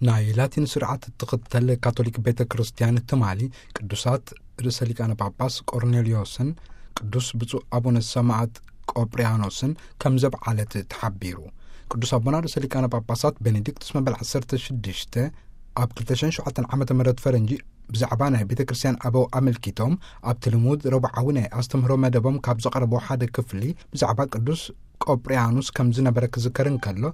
ናይ ላቲን ስርዓት እትኽተል ካቶሊክ ቤተ ክርስቲያን ትማሊ ቅዱሳት ርእሰ ሊቃነ ጳጳስ ቆርኔልዮስን ቅዱስ ብፁዕ ኣቡነ ሰማዕት ቆጵርያኖስን ከም ዘብዓለት ተሓቢሩ። ቅዱስ ኣቦና ርእሰ ሊቃነ ጳጳሳት ቤኔዲክቱስ መበል ዓሰርተ ሽዱሽተ ኣብ ክልተ ሽሕን ሸውዓተን ዓመተ ምህረት ፈረንጂ ብዛዕባ ናይ ቤተ ክርስቲያን ኣበው ኣመልኪቶም ኣብቲ ልሙድ ረቡዓዊ ናይ ኣስተምህሮ መደቦም ካብ ዘቕረቦ ሓደ ክፍሊ ብዛዕባ ቅዱስ ቆጵርያኖስ ከም ዝነበረ ክዝከር እንከሎ፣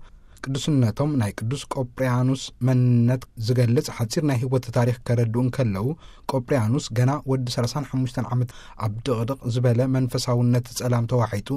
ቅዱስነቶም ናይ ቅዱስ ቆጵርያኖስ መንነት ዝገልጽ ሓጺር ናይ ህይወት ታሪኽ ከረድኡ እንከለዉ፣ ቆጵርያኖስ ገና ወዲ ሰላሳን ሓሙሽተን ዓመት ኣብ ድቕድቕ ዝበለ መንፈሳውነት ጸላም ተዋሒጡ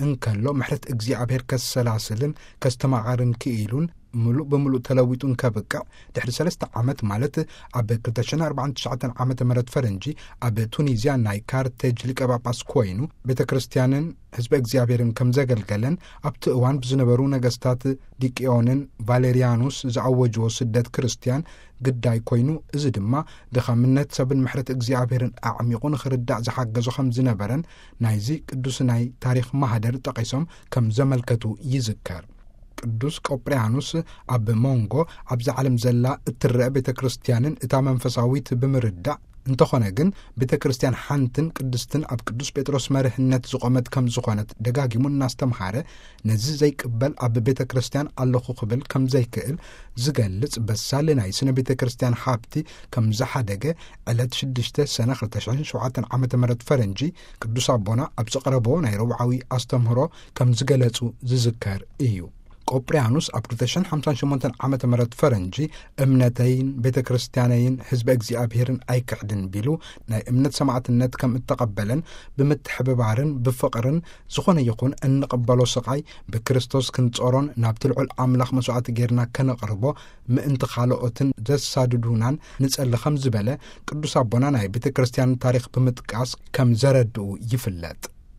እንከሎ፣ ምሕረት እግዚኣብሔር ከሰላስልን ከስተማቐርን ክኢሉን ምሉእ ብምሉእ ተለዊጡ እንከብቅዕ፣ ድሕሪ ሰለስተ ዓመት ማለት ኣብ ክልተ ሽሕን ኣርባዓን ትሽዓተን ዓመተ ምህረት ፈረንጂ ኣብ ቱኒዝያ ናይ ካርቴጅ ሊቀ ጳጳስ ኮይኑ ቤተ ክርስቲያንን ህዝበ እግዚኣብሔርን ከም ዘገልገለን ኣብቲ እዋን ብዝነበሩ ነገስታት ዲቅዮንን ቫሌሪያኑስ ዝኣወጅዎ ስደት ክርስቲያን ግዳይ ኮይኑ፣ እዚ ድማ ድኻምነት ሰብን ምሕረት እግዚኣብሔርን ኣዕሚቑ ንኽርዳእ ዝሓገዞ ከም ዝነበረን ናይዚ ቅዱስ ናይ ታሪኽ ማህደር ጠቒሶም ከም ዘመልከቱ ይዝከር። ቅዱስ ቆጵርያኖስ ኣብ መንጎ ኣብዛ ዓለም ዘላ እትረአ ቤተ ክርስቲያንን እታ መንፈሳዊት ብምርዳእ፣ እንተኾነ ግን ቤተ ክርስቲያን ሓንትን ቅድስትን ኣብ ቅዱስ ጴጥሮስ መርህነት ዝቖመት ከም ዝኾነት ደጋጊሙ እናስተምሃረ፣ ነዚ ዘይቅበል ኣብ ቤተ ክርስቲያን ኣለኹ ክብል ከም ዘይክእል ዝገልጽ በሳል ናይ ስነ ቤተ ክርስቲያን ሃብቲ ከም ዝሓደገ ዕለት ሽዱሽተ ሰነ ክልተ ሽሕን ሸውዓተን ዓመተ ምህረት ፈረንጂ ቅዱስ ኣቦና ኣብ ዘቕረቦ ናይ ረቡዓዊ ኣስተምህሮ ከም ዝገለጹ ዝዝከር እዩ። ቆጵርያኖስ ኣብ ክልተ ሽሕን ሓምሳን ሸሞንተን ዓመተ ምህረት ፈረንጂ እምነተይን ቤተ ክርስቲያነይን ህዝበ እግዚኣብሔርን ኣይክሕድን ቢሉ ናይ እምነት ሰማዕትነት ከም እተቐበለን ብምትሕብባርን ብፍቕርን ዝኾነ ይኹን እንቕበሎ ስቓይ ብክርስቶስ ክንጾሮን ናብቲ ልዑል ኣምላኽ መስዋዕቲ ጌርና ከነቕርቦ ምእንቲ ካልኦትን ዘሳድዱናን ንጸሊ ከም ዝበለ ቅዱስ ኣቦና ናይ ቤተ ክርስቲያን ታሪኽ ብምጥቃስ ከም ዘረድኡ ይፍለጥ።